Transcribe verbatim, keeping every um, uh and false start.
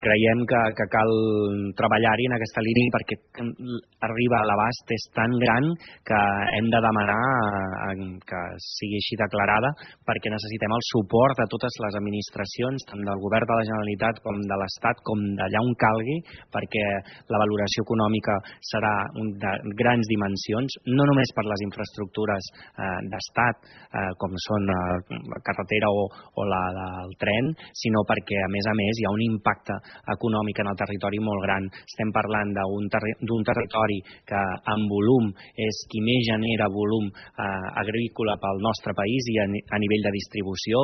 Creiem que, que cal treballar-hi en aquesta línia perquè arriba a l'abast és tan gran que hem de demanar que sigui així declarada perquè necessitem el suport de totes les administracions, tant del govern de la Generalitat com de l'Estat, com d'allà on calgui, perquè la valoració econòmica serà de grans dimensions, no només per les infraestructures eh, d'estat, eh, com són la carretera o, o la del tren, sinó perquè, a més a més, hi ha un impacte econòmic en el territori molt gran. Estem parlant d'un terri territori que en volum és qui més genera volum eh, agrícola pel nostre país i a, a nivell de distribució.